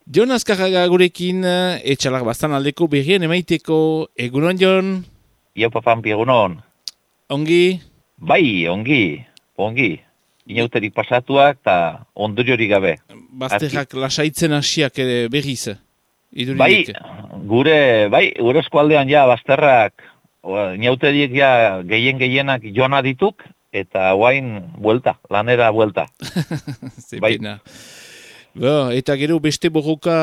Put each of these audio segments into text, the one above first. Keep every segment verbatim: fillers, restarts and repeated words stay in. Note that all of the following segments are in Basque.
Jon Azkarraga gurekin, etxalar bastan aldeko berrien emaiteko. Egunon, Jon? Iopa Pampi, egunon. Ongi? Bai, ongi, ongi. Inauterik pasatuak eta ondoriorik gabe. Bazterrak lasaitzen hasiak ere berriz. Bai, gure, bai, gure eskualdean ja bazterrak, inauterik ja gehien gehienak joana dituk, eta guain buelta, lanera buelta. Zepena. Bai. Bo, eta gero beste borroka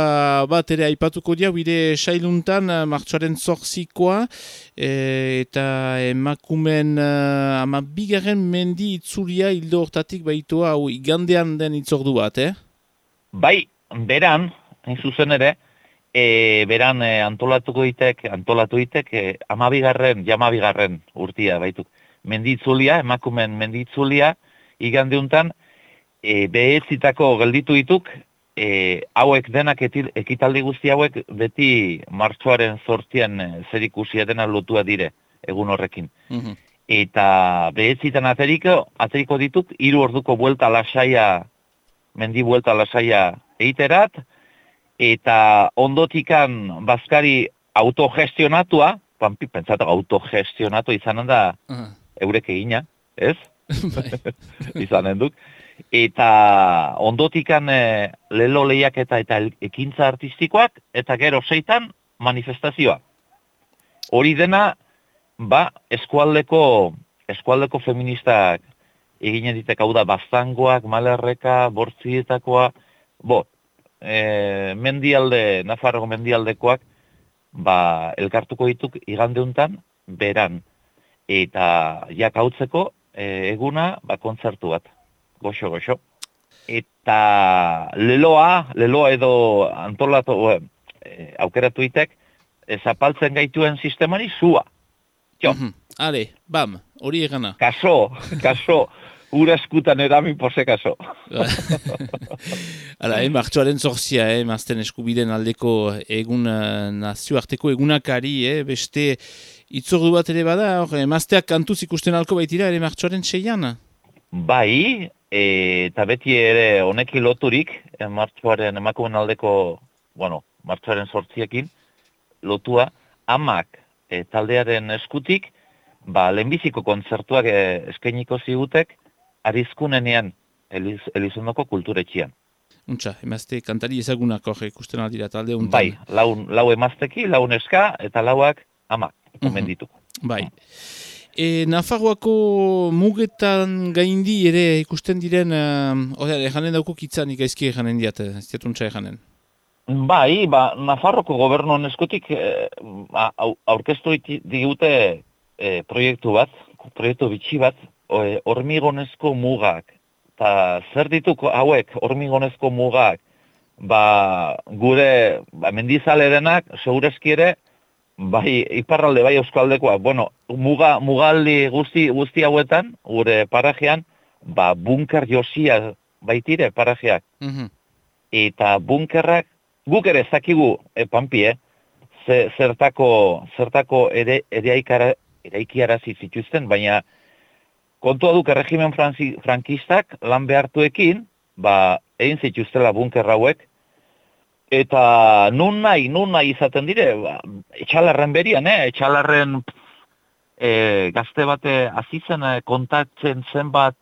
bat ere aipatuko dia, bide sailuntan, martxoaren zortzikoa, e, eta emakumen uh, ama bigarren mendi itzulia hildo hortatik baitoa, hau igandean den itzordu bat, eh? Bai, beran, hain zuzen ere, e, beran e, antolatuko ditek, antolatu ditek, e, ama bigarren, jama bigarren urtia baituk. Mendi itzulia, emakumen mendi itzulia, igandeuntan, E, behetzitako gelditu dituk, e, hauek denak etil, ekitaldi guzti hauek beti martxoaren zortzian e, zerikusia dena lotua dire, egun horrekin. Mm-hmm. Eta behetzitan ateriko, ateriko dituk, hiru orduko buelta lasaia, mendi buelta lasaia eiterat, eta ondotikan bazkari autogestionatua, Pampi, pentsatu autogestionatu izanen da uh-huh. eurek egina, ez? Izanen duk. Eta ondotikan e, lelo lehiaketa eta ekintza artistikoak, eta gero seitan manifestazioa. Hori dena, ba, eskualdeko, eskualdeko feministak egine ditek, hau da, Baztangoak, Malerreka, Bortzietakoa, bo, e, mendialde, Nafarroko mendialdekoak, ba, elkartuko dituk igandeuntan, beran. Eta jak hautzeko, e, eguna, ba, kontzertu bat. Goxo, goxo. Eta leloa, leloa edo antolatu, e, aukeratu itek, e, zapaltzen gaituen sistemari zua. Jo. Mm-hmm. Ale, bam, hori egana. Kaso, kaso, ura eskutan eramin pose kaso. Hala, eh, martxoaren zorzia, eh, mazten eskubiden aldeko egun, nazioarteko egunakari, eh, beste itzordu bat ere bada, hor, mazteak kantuz ikusten alko baitira, ere martxoaren seian? Bai, e, eta beti ere honekin loturik, e, martxoaren emakumen aldeko, bueno, martxoaren sortziekin, lotua, amak e, taldearen eskutik, ba, lehenbiziko kontzertuak e, eskainiko zigutek, arizkunenean, Eliz, Elizondoko kulturetxian. Untxa, emazte kantari ezagunak hor ikusten aldira talde untan. Bai, lau, lau emazteki, lau neska, eta lauak amak, omen ditu. Mm-hmm. Bai. E, Nafarroako mugetan gaindi ere ikusten diren, uh, ejanen daukuk itzanik aizki ejanen diat, ez diatuntza ejanen. Bai, ba, Nafarroko gobernuan eskutik e, aurkeztu digute e, proiektu bat, proiektu bitxi bat, e, hormigonezko mugak. Ta zer dituk hauek hormigonezko mugak, ba, gure ba, mendizale denak, segurezki ere, bai, iparralde, bai, euskaldekoa, bueno, muga, mugaldi guzti, guzti hauetan, gure parajean, ba, bunker josia baitire parajeak. Mm-hmm. Eta bunkerrak, guk ere zakigu, e, Pampi, eh? Ze, zertako, zertako ere, ere eraikiarazi zituzten, baina kontua duk erregimen frankistak lan behartuekin, ba, egin zituztela bunker hauek, eta nun nahi, nun nahi izaten dire, ba, etxalarren berian, eh? etxalarren e, gazte bate azizen e, kontatzen zenbat,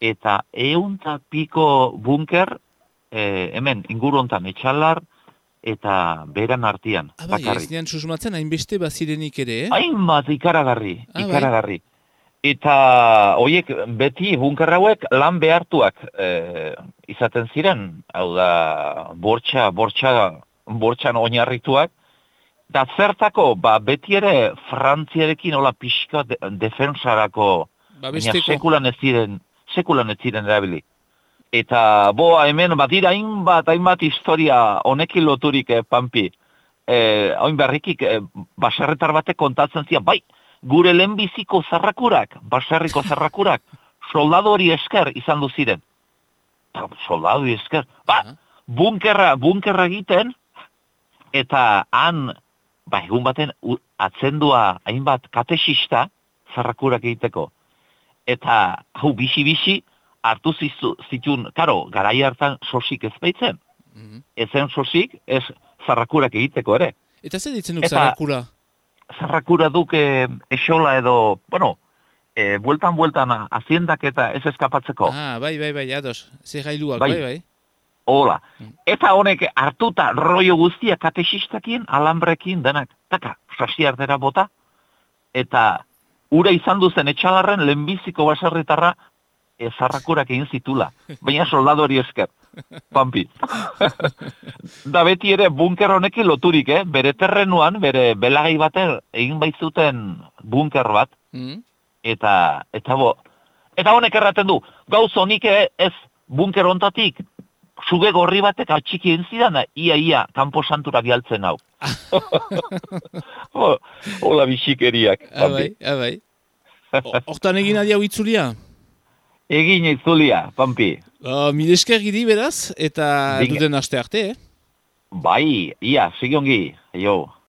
eta eunta piko bunker, e, hemen, inguru hontan, etxalar, eta beran artian. Ah, bai, ez nian susmatzen, hainbeste bazirenik ere, eh? Hainbat, ikaragarri, ah, ikaragarri. Bai. Eta horiek beti bunker hauek lan behartuak e, izaten ziren, hau da bortxa, bortxa, bortxan oinarrituak, da zertako, ba, beti ere Frantziarekin hola pixka de, defensarako, ba, baina sekulan ez ziren, sekulan ez ziren erabili. Eta boa hemen, bat dira hainbat, hainbat historia honekin loturik, eh, Pampi, eh, hain berrikik, eh, baserretar batek kontatzen zian, bai, gure lehenbiziko zarrakurak, baserriko zarrakurak, soldadu hori esker izan du ziren. Soldadu hori esker. Ba, bunkerra, bunkerra egiten, eta han, ba, egun baten, atzendua hainbat katexista zarrakurak egiteko. Eta, hau, bisi-bisi, hartu zitun, karo, garai hartan sosik ez baitzen. mm-hmm. ezen sosik, ez zarrakurak egiteko ere. Eta zer ditzen duk zarrakura? Zarrakura duk e, esola edo, bueno, e, bueltan-bueltan aziendak eta ez eskapatzeko. Ah, bai, bai, bai, ados. Zer gailuak, bai, bai. bai. Hola. Mm. Eta honek hartuta rollo guztia katexistakien, alambrekin, denak, taka, sasi ardera bota, eta ura izan duzen etxalarren lehenbiziko baserritarra e, zarrakurak egin zitula. Baina soldado hori esker. Pampi. Da beti ere bunker honekin loturik, eh? Bere terrenuan, bere belagai bater egin baitzuten bunker bat. Mm. Eta, eta bo, eta honek erraten du, gauz honik ez bunker hontatik, suge gorri batek atxiki egin zidan, ia, ia, kanpo santurak jaltzen hau. Hola bisikeriak. Abai, abai. Hortan egin adia itzulia? Egin itzulia, Pampi. Uh, Mil esker gidi beraz, eta Ding... duten aste arte, eh? Bai, ia, sigiongi, jo.